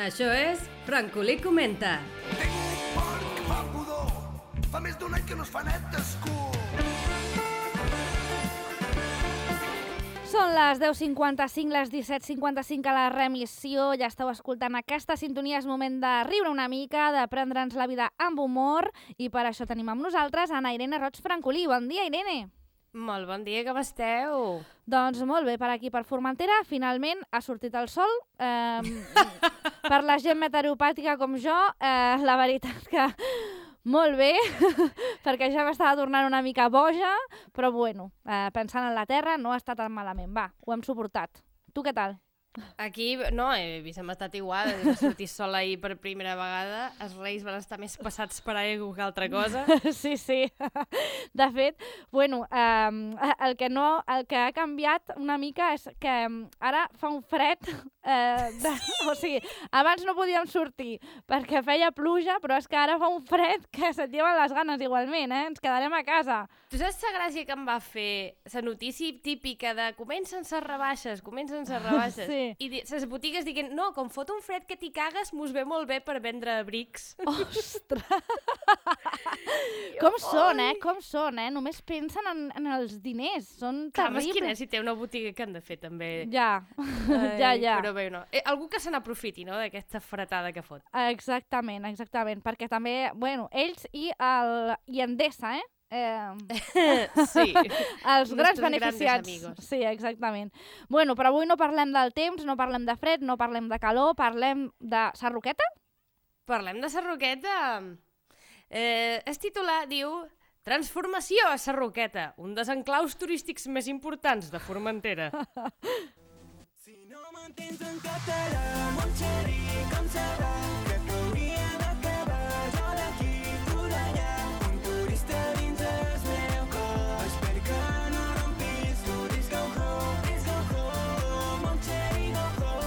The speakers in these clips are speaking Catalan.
Això és Francolí Comenta. Tinc un porc que fa pudor. Fa més d'un any que no es fa net d'escur. Són les 10:55, les 17:55 a la remissió. Ja esteu escoltant aquesta sintonia. És moment de riure una mica, de prendre'ns la vida amb humor. I per això tenim amb nosaltres Ana Irene Roig Francolí. Bon dia, Irene. Molt bon dia, com esteu? Doncs molt bé, per aquí, per Formentera, finalment ha sortit el sol. Per la gent meteoropàtica com jo, la veritat que molt bé, perquè ja m'estava tornant una mica boja, però bueno, pensant en la terra no està tan malament. Va, ho hem suportat. Tu què tal? Aquí, no, hem estat igual, va sortir sol ahir per primera vegada, els Reis van estar més passats per ego que altra cosa. Sí, sí. De fet, bueno, el que ha canviat una mica és que ara fa un fred, o sigui, abans no podíem sortir perquè feia pluja, però és que ara fa un fred que se't lleven les ganes igualment, ens quedarem a casa. Tu saps la gràcia que em va fer la notícia típica de comencen les rebaixes, Sí. I les botigues dient, no, com fot un fred que t'hi cagues, mos ve molt bé per vendre abrics. Ostres! Com són, Com són, Només pensen en els diners. Són Clar, terribles. mesquina, si té una botiga que han de fer també. Ja, ja. Però bé, no. Algú que se n'aprofiti, no?, d'aquesta fretada que fot. Exactament, perquè també, bueno, ells i Endesa, Sí. Els grans Nuestros beneficiats. grandes amigos. Sí, exactament. Bueno, però avui no parlem del temps, no parlem de fred, no parlem de calor, parlem de Sarroqueta? Parlem de Sarroqueta. El titular diu Transformació a Sarroqueta, un dels enclaus turístics més importants de Formentera. Si no m'entens en català, mon xeri, com serà? Que t'hauria d'acabar, jo d'aquí, tu d'allà. Un turista dins el meu cor. Espero que no rompis, tu dis go home, mon xeri, go home.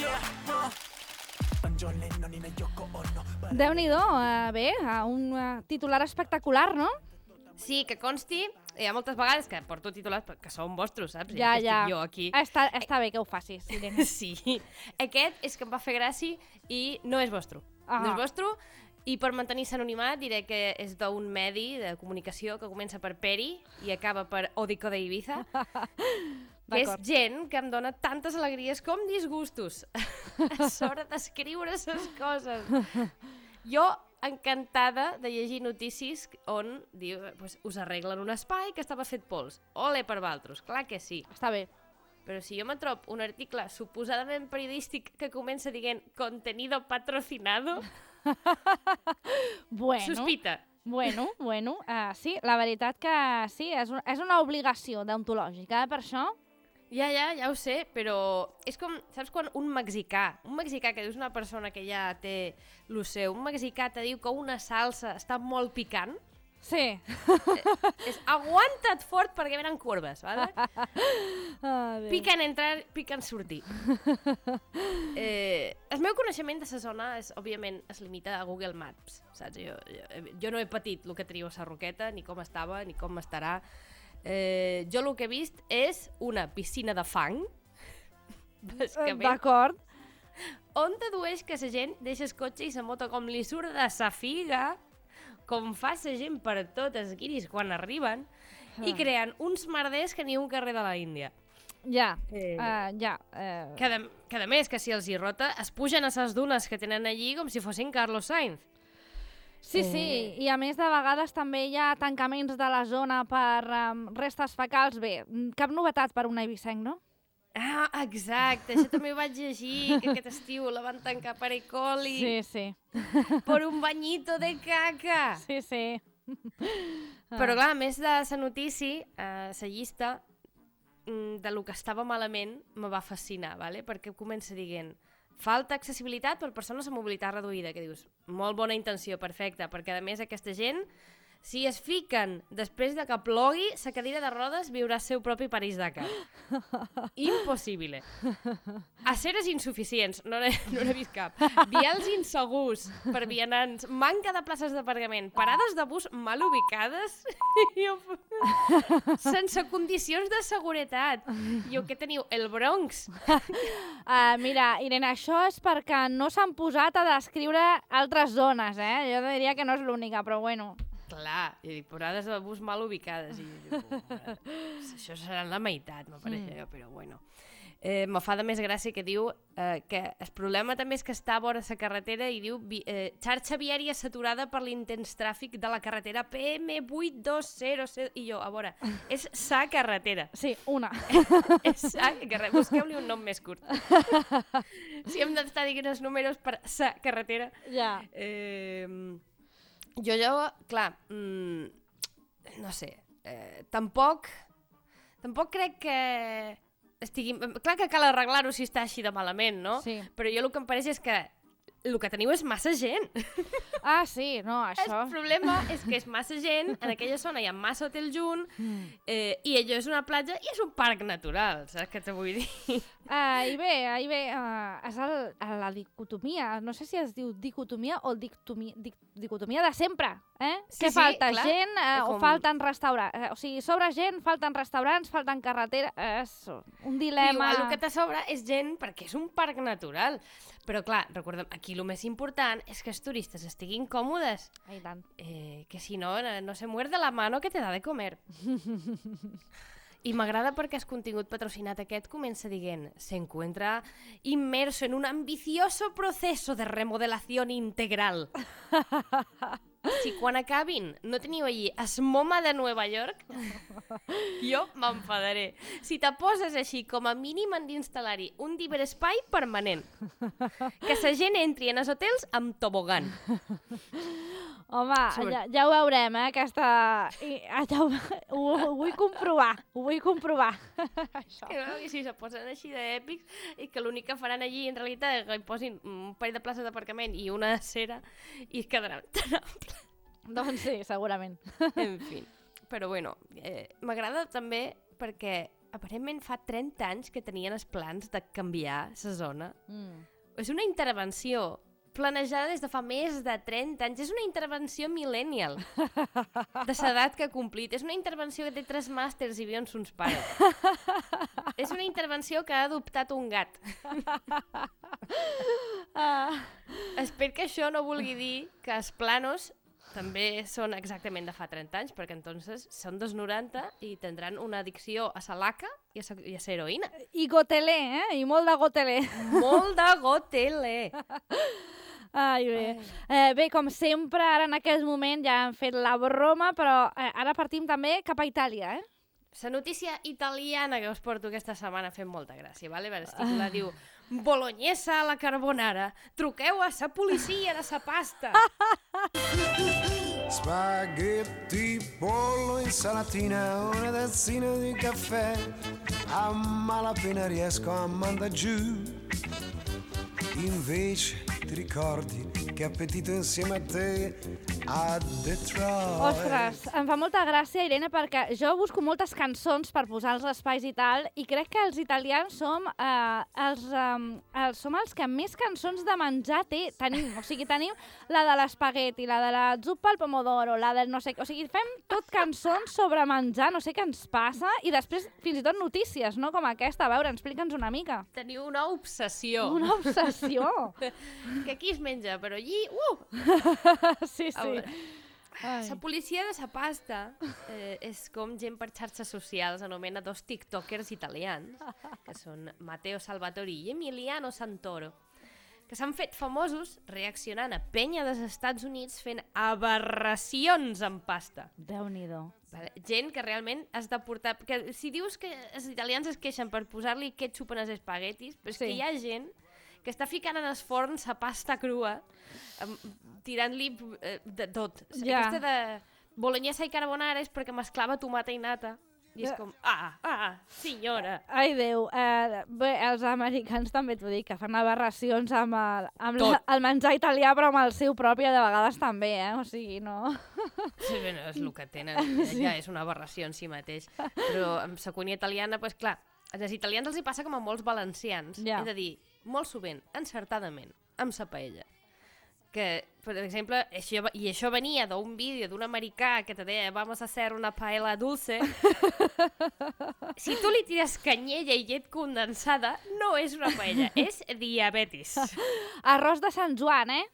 Yeah, en John Lennon i la Yoko Ono. Déu-n'hi-do, bé, un titular espectacular, no? Sí, que consti, hi ha moltes vegades que porto titulars que són vostres, saps? Ja. Estic jo aquí. Està bé que ho facis, Irene. Sí, aquest és que em va fer gràcia i no és vostre. Ah. No és vostre, i per mantenir l'anonimat diré que és d'un medi de comunicació que comença per Peri i acaba per Odico de Ibiza, que és D'acord. gent que em dona tantes alegries com disgustos a l'hora d'escriure les coses. Jo encantada de llegir notícies on diu, pues, us arreglen un espai que estava fet pols. Ole per valtros, clar que sí. Està bé. Però si jo me trob un article suposadament periodístic que comença dient contenido patrocinado, Bueno. sospita. Bueno, sí, la veritat que sí, és una obligació deontològica, per això. Ja ho sé, però és com, saps quan un mexicà que dius una persona que ja té lo seu, un mexicà te diu que una salsa està molt picant, Sí. és aguanta't fort perquè venen corbes, vale? Bé. Piquen entrar, piquen sortir. El meu coneixement de la zona, òbviament, es limita a Google Maps, saps? Jo no he patit el que teniu a Sarroqueta, ni com estava, ni com estarà. Jo el que he vist és una piscina de fang, bàsicament, D'acord. on dedueix que la gent deixa el cotxe i la moto com li surt de sa figa, com fa la gent per totes guiris quan arriben, i creen uns merders que ni un carrer de la Índia. Ja. Que a més, que si els hi rota, es pugen a les dunes que tenen allí com si fossin Carlos Sainz. Sí, i a més de vegades també hi ha tancaments de la zona per restes fecals. Bé, cap novetat per un eivissenc, no? Ah, exacte, això també ho vaig llegir, que aquest estiu la van tancar per E. coli, Sí. per un bañito de caca. Sí. Però clar, a més de la notícia, la llista de lo que estava malament me va fascinar, vale? Perquè comença dient falta accessibilitat per persones amb mobilitat reduïda, que dius, molt bona intenció, perfecte, perquè a més aquesta gent Si es fiquen després de que plogui, la cadira de rodes viurà el seu propi París-Dakar. Impossible. Aceres insuficients, no n'he vist cap. Vials insegurs per vianants, manca de places d'aparcament, parades de bus mal ubicades, sense condicions de seguretat. I què teniu? El Bronx. Mira, Irene, això és perquè no s'han posat a descriure altres zones, Jo diria que no és l'única, però bueno. Clar, parades de bus mal ubicades. Això serà la meitat, me pareix, però bueno. Me fa de més gràcia que diu que el problema també és que està a vora la carretera i diu xarxa viària saturada per l'intens tràfic de la carretera PM8200 i jo, a veure, és sa carretera. Sí, una. És sa carretera. Busqueu-li un nom més curt. Si hem d'estar dient els números per sa carretera. Ja. Jo, clar, no sé, tampoc crec que estigui... Clar que cal arreglar-ho si està així de malament, no? Sí. Però jo el que em pareix és que el que teniu és massa gent. Ah, sí, no, això... El problema és que és massa gent, en aquella zona hi ha massa hotel junt, i allò és una platja i és un parc natural, saps què te vull dir? Ahí ve, és la dicotomia, no sé si es diu dicotomia o dicotomia de sempre, Sí, que falta clar. gent o falten restaurants, o sigui, sobra gent, falten restaurants, falten carretera, és un dilema... Igual el que te sobra és gent perquè és un parc natural. Però clar, recordem, aquí el més important és que els turistes estiguin còmodes. Ai, tant. Que si no, no se muerde la mano que te da de comer. I m'agrada perquè el contingut patrocinat aquest comença dient se encuentra inmerso en un ambicioso proceso de remodelación integral. Si quan acabin no teniu allí es MoMA de Nova York, jo m'enfadaré. Si te poses així, com a mínim han d'instal·lar-hi un diverespai permanent. Que la gent entri en els hotels amb tobogan. Home, ja ho veurem, aquesta... Ho vull comprovar, Això. I si se posen així d'èpics i que l'únic que faran allí en realitat és que hi posin un parell de places d'aparcament i una acera i es quedaran tan amples. Doncs sí, segurament. En fi, però bueno, m'agrada també perquè aparentment fa 30 anys que tenien els plans de canviar la zona. És una intervenció planejada des de fa més de 30 anys. És una intervenció millennial de l'edat que ha complit. És una intervenció que té 3 màsters i viu amb sons pares. És una intervenció que ha adoptat un gat. Espero que això no vulgui dir que els planos també són exactament de fa 30 anys, perquè entonces són dels 90 i tindran una addicció a la laca i a la heroïna. I gotelé, I molt de gotelé. Molt de gotelé. Ai, bé. Bé, com sempre, ara en aquest moment ja hem fet la broma, però ara partim també cap a Itàlia, La notícia italiana que us porto aquesta setmana fent molta gràcia, vale? El titular diu Bolognesa a la carbonara, truqueu a la policia de la pasta. Spaghetti, pollo, insalatina, una tazzina di caffè. A malapena riesco a mandar giù. Invece ti ricordi che appetito insieme a te a Detroit. Ostres, em fa molta gràcia, Irene, perquè jo busco moltes cançons per posar als espais i tal, i crec que els italians som els que més cançons de menjar tenim. O sigui, tenim la de l'espagueti, la de la zuppa al pomodoro, la del no sé què. O sigui, fem tot cançons sobre menjar, no sé què ens passa, i després fins i tot notícies, no? Com aquesta. A veure, explica'ns una mica. Teniu una obsessió. Una obsessió. Que aquí es menja, però allí... Sí, sí. La policia de la pasta és com gent per xarxes socials, anomena 2 tiktokers italians, que són Matteo Salvatori i Emiliano Santoro, que s'han fet famosos reaccionant a penya dels Estats Units fent aberracions amb pasta. Déu-n'hi-do. Vale. Gent que realment has de portar... Que si dius que els italians es queixen per posar-li ketchup en els espaguetis, però és que hi ha gent que està ficant en els forns la pasta crua, tirant-li de tot. Ja. Aquesta de bolognesa i carbonara és perquè mesclava tomata i nata. I és com, senyora. Ai, Déu. Bé, els americans també t'ho dic, que fan aberracions amb el menjar italià, però amb el seu propi, de vegades també, O sigui, no... Sí, bueno, és el que tenen, ja és una aberració en si mateix. Però amb la cuina italiana, doncs clar, als italians els hi passa com a molts valencians, Ja. he de dir, molt sovint, encertadament, amb la paella. Que, per exemple, això venia d'un vídeo d'un americà que te deia vamos a hacer una paella dulce. Si tu li tires canyella i llet condensada, no és una paella, és diabetis. Arròs de Sant Joan, eh?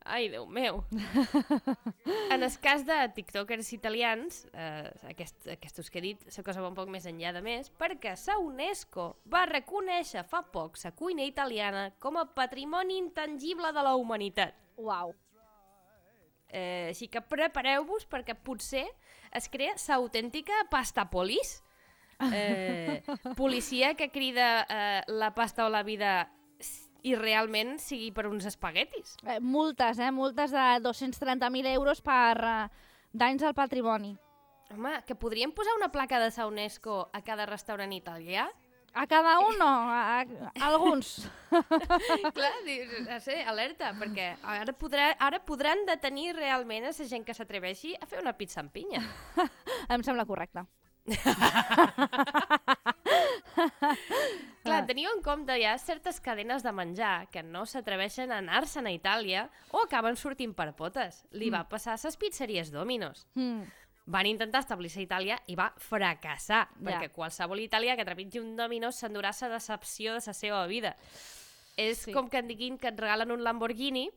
Ai, Déu meu. En el cas de tiktokers italians, aquests que he dit, la cosa va un poc més enllà de més, perquè la UNESCO va reconèixer fa poc la cuina italiana com a patrimoni intangible de la humanitat. Uau. Així que prepareu-vos perquè potser es crea l'autèntica pasta polis. Policia que crida la pasta o la vida i realment sigui per uns espaguetis. Multes, multes de 230.000 euros per danys al patrimoni. Home, que podríem posar una placa de la UNESCO a cada restaurant italià? A cada un no, a alguns. Clar, alerta, perquè ara podran detenir realment a la gent que s'atreveixi a fer una pizza amb pinya. Em sembla correcte. Clar, teniu en compte ja certes cadenes de menjar que no s'atreveixen a anar-se'n a Itàlia o acaben sortint per potes. Li va passar a les pizzeries Domino's. Van intentar establir-se a Itàlia i va fracassar, perquè qualsevol italià que trepitgi un Domino's s'endurà la decepció de la seva vida. És com que et diguin que et regalen un Lamborghini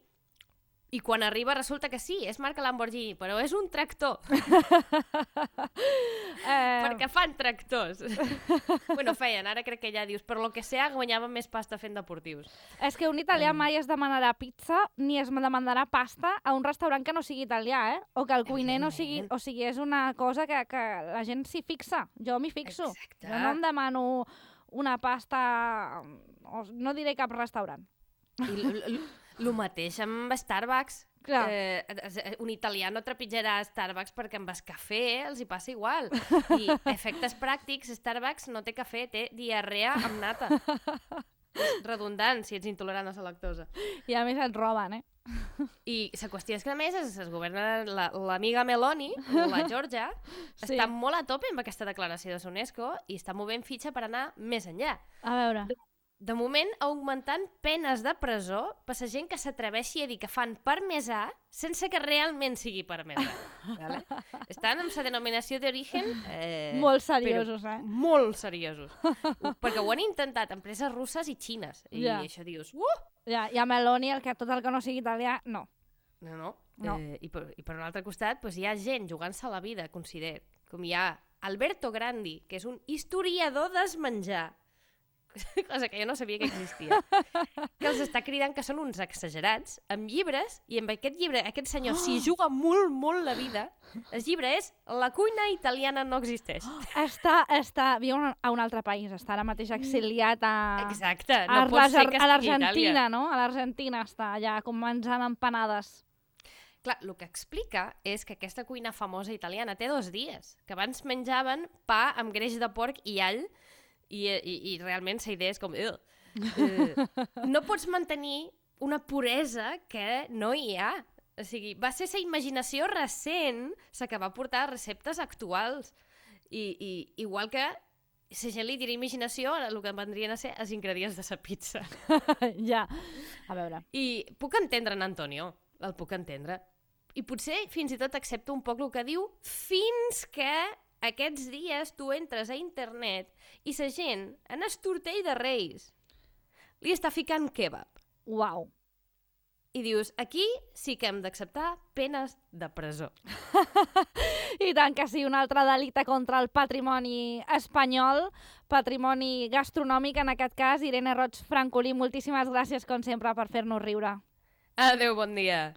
i quan arriba resulta que sí, és marca Lamborghini, però és un tractor. Perquè fan tractors. Bueno, feien, ara crec que ja dius, per lo que sea, guanyaven més pasta fent deportius. És que un italià mai es demanarà pizza ni es demanarà pasta a un restaurant que no sigui italià, o que el cuiner no sigui... O sigui, és una cosa que la gent s'hi fixa. Jo m'hi fixo. Exacte. Jo no em demano una pasta... No diré cap restaurant. I el mateix amb Starbucks. Clar. Un italià no trepitjarà a Starbucks perquè amb el cafè els hi passa igual. I efectes pràctics, Starbucks no té cafè, té diarrea amb nata. És redundant si ets intolerant a la lactosa. I a més et roben, I la qüestió és que a més es governa l'amiga Meloni, la Georgia, està molt a tope amb aquesta declaració de l'UNESCO i està movent fitxa per anar més enllà. A veure... De moment, augmentant penes de presó per la gent que s'atreveixi a dir que fan parmesà sense que realment sigui parmesà. Vale? Estan amb la denominació d'origen... molt seriosos, Molt seriosos. Perquè ho han intentat empreses russes i xines. I això dius... Ja, i a Meloni, tot el que no sigui italià, no. No. I per un altre costat hi ha gent jugant-se a la vida, consider, com hi ha Alberto Grandi, que és un historiador del menjar, cosa que jo no sabia que existia, que els està cridant que són uns exagerats, amb llibres, i amb aquest llibre, aquest senyor s'hi juga molt, molt la vida. El llibre és La cuina italiana no existeix. Viu a un altre país, està ara mateix exiliat a... Exacte, no pot ser que estigui a l'Argentina, no? A l'Argentina està allà com menjant empanades. Clar, el que explica és que aquesta cuina famosa italiana té 2 dies, que abans menjaven pa amb greix de porc i all, i realment la idea és com... no pots mantenir una puresa que no hi ha. O sigui, va ser la imaginació recent la que va portar a receptes actuals. I igual que la gent li dirà imaginació, el que vendrien a ser els ingredients de la pizza. Ja, a veure. I puc entendre en Antonio, el puc entendre. I potser fins i tot accepto un poc el que diu fins que aquests dies tu entres a internet i la gent en el tortell de Reis li està ficant kebab. Uau. I dius, aquí sí que hem d'acceptar penes de presó. I tant que sí, un altre delicte contra el patrimoni espanyol, patrimoni gastronòmic en aquest cas. Irene Roig Francolí, moltíssimes gràcies com sempre per fer-nos riure. Adéu, bon dia.